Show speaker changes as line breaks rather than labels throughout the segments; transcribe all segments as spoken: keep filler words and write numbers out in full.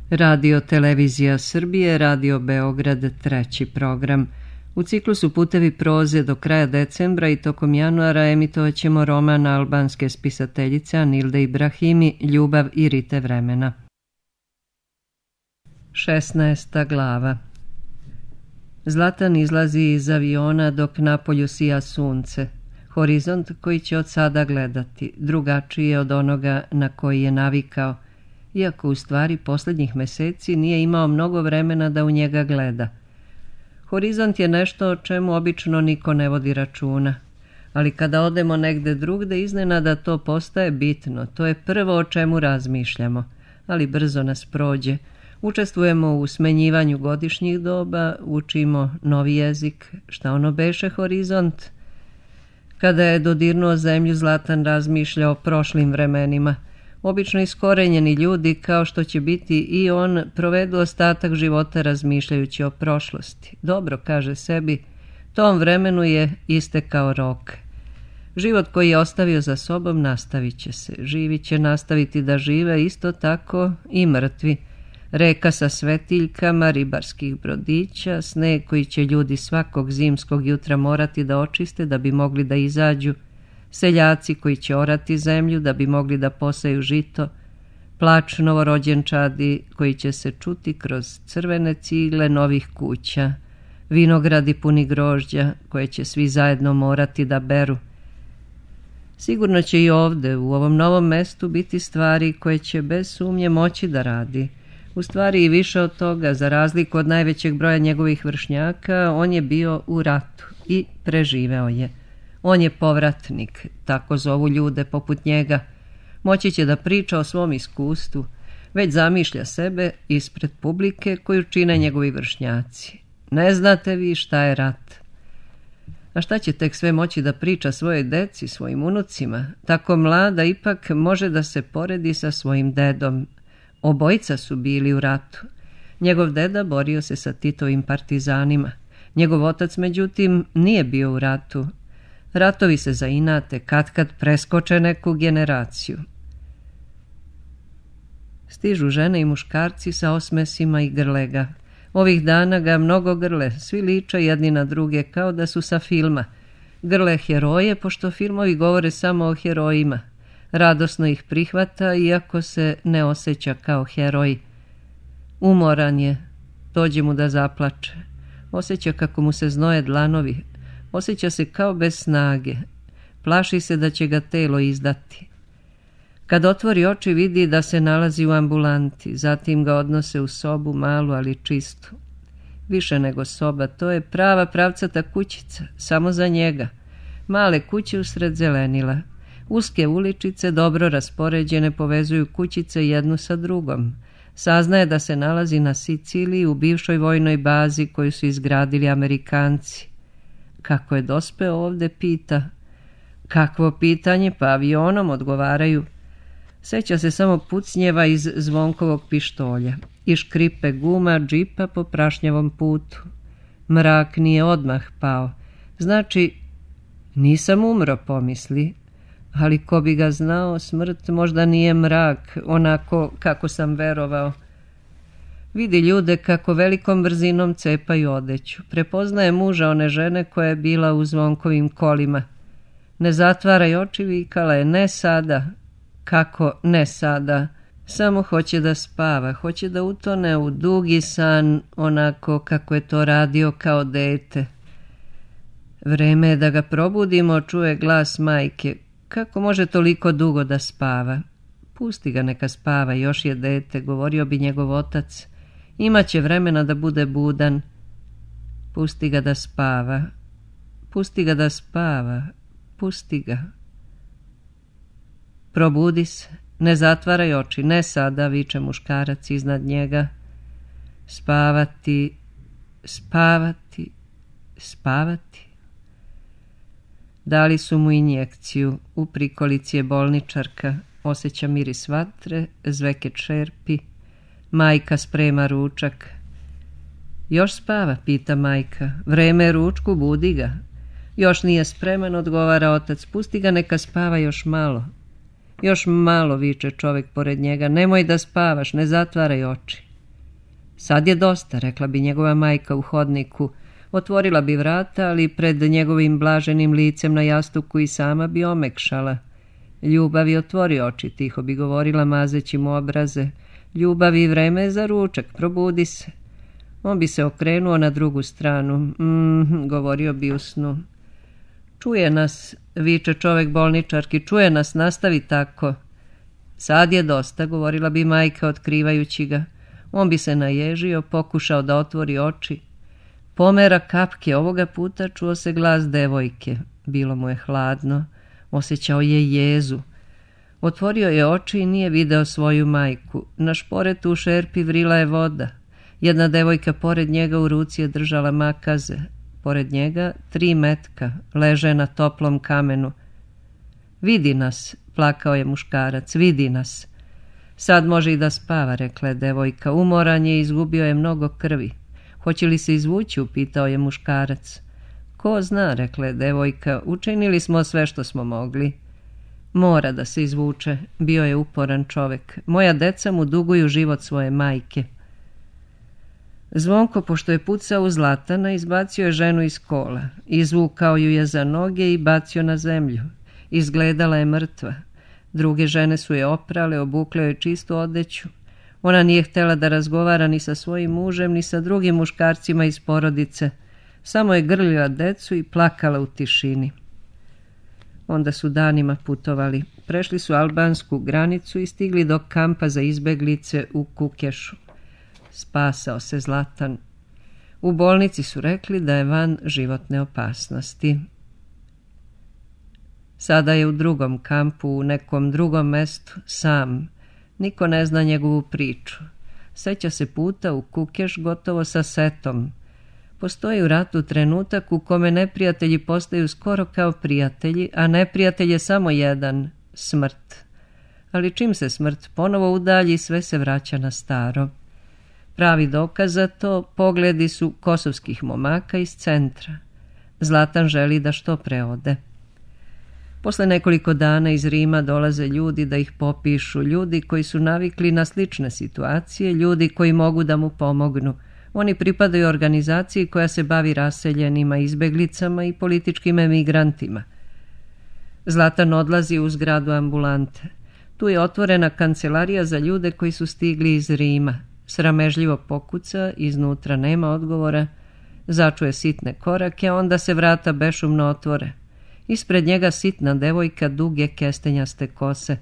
Radio Televizija Srbije, Radio Beograd, treći program. U ciklusu Putevi proze do kraja decembra i tokom januara emitovat ćemo roman albanske spisateljice Anilde Ibrahimi Ljubav i rite vremena. šesnaesta glava. Zlatan izlazi iz aviona dok napolju sija sunce. Horizont koji će od sada gledati, drugačiji je od onoga na koji je navikao, iako u stvari posljednjih meseci nije imao mnogo vremena da u njega gleda. Horizont je nešto o čemu obično niko ne vodi računa, ali kada odemo negde drugde iznenada to postaje bitno, to je prvo o čemu razmišljamo, ali brzo nas prođe. Učestvujemo u smenjivanju godišnjih doba, učimo novi jezik, šta ono beše horizont. Kada je dodirnuo zemlju, Zlatan razmišlja o prošlim vremenima. Obično iskorenjeni ljudi, kao što će biti i on, provedu ostatak života razmišljajući o prošlosti. Dobro, kaže sebi, tom vremenu je istekao rok. Život koji je ostavio za sobom nastavit će se. Živi će nastaviti da žive, isto tako i mrtvi. Reka sa svetiljkama, ribarskih brodića, sneg koji će ljudi svakog zimskog jutra morati da očiste da bi mogli da izađu, seljaci koji će orati zemlju da bi mogli da poseju žito, plač novorođenčadi koji će se čuti kroz crvene cigle novih kuća, vinogradi puni grožđa koje će svi zajedno morati da beru. Sigurno će i ovde, u ovom novom mestu, biti stvari koje će bez sumnje moći da radi. U stvari i više od toga, za razliku od najvećeg broja njegovih vršnjaka, on je bio u ratu i preživeo je. On je povratnik, tako zovu ljude poput njega. Moći će da priča o svom iskustvu, već zamišlja sebe ispred publike koju čine njegovi vršnjaci. Ne znate vi šta je rat. A šta će tek sve moći da priča svojoj deci, svojim unucima? Tako mlada ipak može da se poredi sa svojim dedom. Obojica su bili u ratu. Njegov deda borio se sa Titovim partizanima. Njegov otac, međutim, nije bio u ratu. Ratovi se zainate, katkad preskoče neku generaciju. Stižu žene i muškarci sa osmesima i grle ga. Ovih dana ga mnogo grle, svi liče jedni na druge kao da su sa filma. Grle heroje, pošto filmovi govore samo o herojima. Radosno ih prihvata, iako se ne osjeća kao heroj. Umoran je, dođe mu da zaplače. Osjeća kako mu se znoje dlanovi. Osjeća se kao bez snage. Plaši se da će ga telo izdati. Kad otvori oči vidi da se nalazi u ambulanti, zatim ga odnose u sobu, malu ali čistu. Više nego soba, to je prava pravcata kućica, samo za njega. Male kuće usred zelenila. Uske uličice, dobro raspoređene, povezuju kućice jednu sa drugom. Saznaje da se nalazi na Siciliji u bivšoj vojnoj bazi koju su izgradili Amerikanci. Kako je dospeo ovde, pita. Kakvo pitanje, pa avionom, odgovaraju. Seća se samo pucnjeva iz zvonkovog pištolja i škripe guma džipa po prašnjavom putu. Mrak nije odmah pao. Znači, nisam umro, pomisli. Ali ko bi ga znao, smrt možda nije mrak, onako kako sam verovao. Vidi ljude kako velikom brzinom cepaju odeću. Prepoznaje muža one žene koja je bila u zvonkovim kolima. Ne zatvaraj oči, vikala je, ne sada. Kako ne sada? Samo hoće da spava, hoće da utone u dugi san, onako kako je to radio kao dete. Vreme je da ga probudimo, čuje glas majke. Kako može toliko dugo da spava? Pusti ga neka spava, još je dete, govorio bi njegov otac. Imaće vremena da bude budan. Pusti ga da spava. Pusti ga da spava. Pusti ga. Probudi se. Ne zatvaraj oči. Ne sada, viče muškarac iznad njega. Spavati, spavati, spavati. Dali su mu injekciju. U prikolici je bolničarka. Osjeća miris vatre, zveke čerpi. Majka sprema ručak. Još spava, pita majka. Vreme je ručku, budi ga. Još nije spreman, odgovara otac. Pusti ga, neka spava još malo. Još malo, viče čovjek pored njega. Nemoj da spavaš, ne zatvaraj oči. Sad je dosta, rekla bi njegova majka u hodniku. Otvorila bi vrata, ali pred njegovim blaženim licem na jastuku i sama bi omekšala. Ljubavi, otvori oči, tiho bi govorila mazeći mu obraze. Ljubavi, vreme je za ručak, probudi se. On bi se okrenuo na drugu stranu. Mm, govorio bi u snu. Čuje nas, viče čovek bolničarki, čuje nas, nastavi tako. Sad je dosta, govorila bi majka otkrivajući ga. On bi se naježio, pokušao da otvori oči. Pomera kapke, ovoga puta čuo se glas devojke. Bilo mu je hladno, osjećao je jezu. Otvorio je oči i nije video svoju majku. Na šporetu u šerpi vrila je voda. Jedna devojka pored njega u ruci je držala makaze. Pored njega tri metka, leže na toplom kamenu. Vidi nas, plakao je muškarac, vidi nas. Sad može i da spava, rekla je devojka. Umoran je, izgubio je mnogo krvi. Hoće li se izvući, upitao je muškarac. Ko zna, rekla je devojka, učinili smo sve što smo mogli. Mora da se izvuče, bio je uporan čovek. Moja deca mu duguju život svoje majke. Zvonko, pošto je pucao u Zlatana, izbacio je ženu iz kola. Izvukao ju je za noge i bacio na zemlju. Izgledala je mrtva. Druge žene su je oprale, obukle joj čistu odeću. Ona nije htjela da razgovara ni sa svojim mužem, ni sa drugim muškarcima iz porodice. Samo je grlila decu i plakala u tišini. Onda su danima putovali. Prešli su albansku granicu i stigli do kampa za izbeglice u Kukešu. Spasao se Zlatan. U bolnici su rekli da je van životne opasnosti. Sada je u drugom kampu, u nekom drugom mestu, sam. Niko ne zna njegovu priču. Seća se puta u Kukeš gotovo sa setom. Postoji u ratu trenutak u kome neprijatelji postaju skoro kao prijatelji, a neprijatelj je samo jedan, smrt. Ali čim se smrt ponovo udalji, sve se vraća na staro. Pravi dokaz za to pogledi su kosovskih momaka iz centra. Zlatan želi da što pre ode. Posle nekoliko dana iz Rima dolaze ljudi da ih popišu, ljudi koji su navikli na slične situacije, ljudi koji mogu da mu pomognu. Oni pripadaju organizaciji koja se bavi raseljenima, izbeglicama i političkim emigrantima. Zlatan odlazi u zgradu ambulante. Tu je otvorena kancelarija za ljude koji su stigli iz Rima. Sramežljivo pokuca, iznutra nema odgovora, začuje sitne korake, a onda se vrata bešumno otvore. Ispred njega sitna devojka duge kestenjaste kose.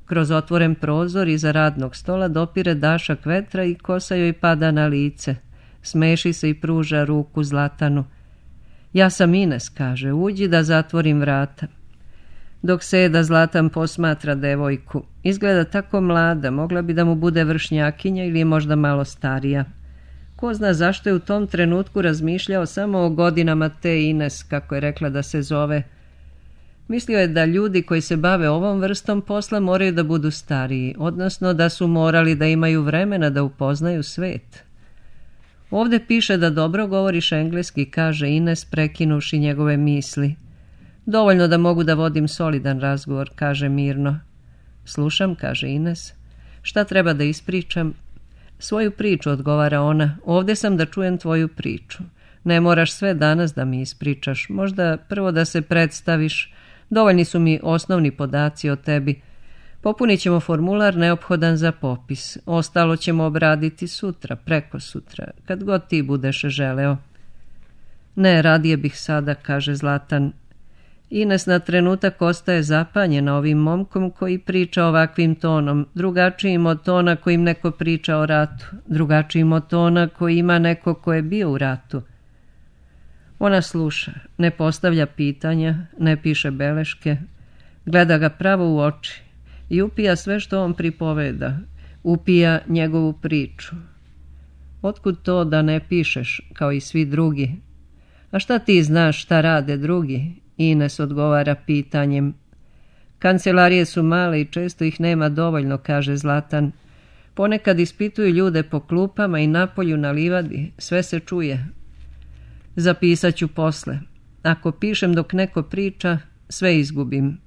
Kroz otvoren prozor iza radnog stola dopire dašak vetra i kosa joj pada na lice. Smeši se i pruža ruku Zlatanu. Ja sam Ines, kaže, uđi da zatvorim vrata. Dok seda Zlatan posmatra devojku. Izgleda tako mlada, mogla bi da mu bude vršnjakinja ili je možda malo starija. Ko zna zašto je u tom trenutku razmišljao samo o godinama te Ines, kako je rekla da se zove. Mislio je da ljudi koji se bave ovom vrstom posla moraju da budu stariji, odnosno da su morali da imaju vremena da upoznaju svet. Ovde piše da dobro govoriš engleski, kaže Ines, prekinuši njegove misli. Dovoljno da mogu da vodim solidan razgovor, kaže mirno. Slušam, kaže Ines. Šta treba da ispričam? Svoju priču, odgovara ona. Ovde sam da čujem tvoju priču. Ne moraš sve danas da mi ispričaš. Možda prvo da se predstaviš. Dovoljni su mi osnovni podaci o tebi. Popunit ćemo formular neophodan za popis. Ostalo ćemo obraditi sutra, preko sutra, kad god ti budeš želeo. Ne, radije bih sada, kaže Zlatan. Ines na trenutak ostaje zapanjena ovim momkom koji priča ovakvim tonom, drugačijim od tona kojim neko priča o ratu, drugačijim od tona koji ima neko ko je bio u ratu. Ona sluša, ne postavlja pitanja, ne piše beleške, gleda ga pravo u oči i upija sve što on pripoveda, upija njegovu priču. Otkud to da ne pišeš, kao i svi drugi? A šta ti znaš šta rade drugi? Ines odgovara pitanjem. Kancelarije su male i često ih nema dovoljno, kaže Zlatan. Ponekad ispituju ljude po klupama i napolju na livadi, sve se čuje. Zapisat ću posle. Ako pišem dok neko priča, sve izgubim.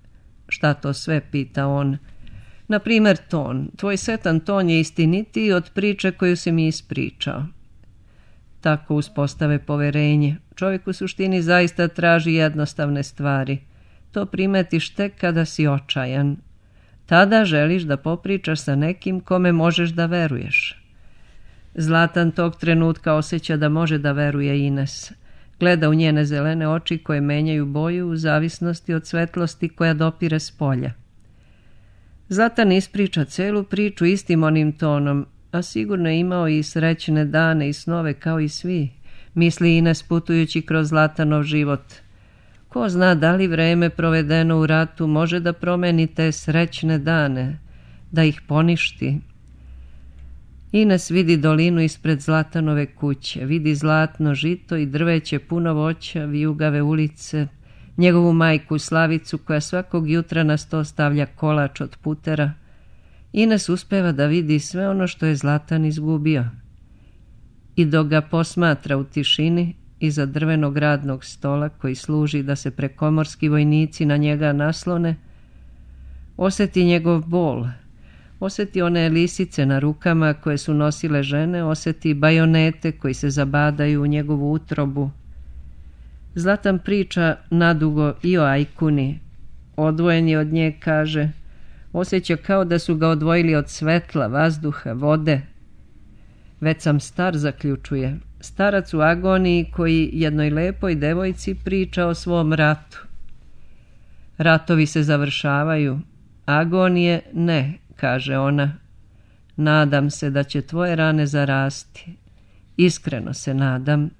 Šta to sve, pita on. Na primjer ton. Tvoj setan ton je istinitiji od priče koju si mi ispričao. Tako uspostave poverenje. Čovjek u suštini zaista traži jednostavne stvari. To primetiš tek kada si očajan. Tada želiš da popričaš sa nekim kome možeš da veruješ. Zlatan tog trenutka osjeća da može da veruje Ines. Gleda u njene zelene oči koje menjaju boju u zavisnosti od svetlosti koja dopire s polja. Zlatan ispriča celu priču istim onim tonom, a sigurno je imao i srećne dane i snove kao i svi, misli Ines putujući kroz Zlatanov život. Ko zna da li vreme provedeno u ratu može da promeni te srećne dane, da ih poništi. Ines vidi dolinu ispred Zlatanove kuće, vidi zlatno žito i drveće puno voća, vijugave ulice, njegovu majku Slavicu koja svakog jutra na sto stavlja kolač od putera. Ines uspeva da vidi sve ono što je Zlatan izgubio. I dok ga posmatra u tišini, iza drvenog radnog stola koji služi da se prekomorski vojnici na njega naslone, osjeti njegov bol, osjeti one lisice na rukama koje su nosile žene, osjeti bajonete koji se zabadaju u njegovu utrobu. Zlatan priča nadugo i o Ajkuni. Odvojen je od nje, kaže, osjeća kao da su ga odvojili od svetla, vazduha, vode. Već sam star, zaključuje, starac u agoniji koji jednoj lepoj devojci priča o svom ratu. Ratovi se završavaju, agonije ne, kaže ona. Nadam se da će tvoje rane zarasti. Iskreno se nadam.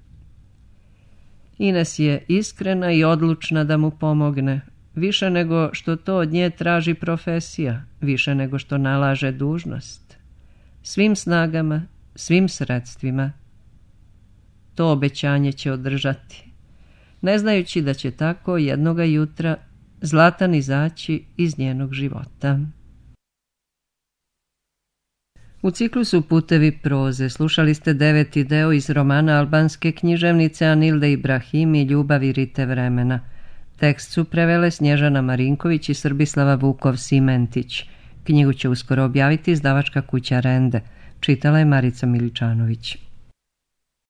Ines je iskrena i odlučna da mu pomogne, više nego što to od nje traži profesija, više nego što nalaže dužnost. Svim snagama, svim sredstvima. To obećanje će održati, ne znajući da će tako jednoga jutra Zlatan izaći iz njenog života. U ciklusu Putevi proze slušali ste deveti deo iz romana albanske književnice Anilde Ibrahimi Ljubavi rite vremena. Tekst su prevele Snježana Marinković i Srbislava Vukov-Simentić. Knjigu će uskoro objaviti izdavačka kuća Rende. Čitala je Marica Miličanović.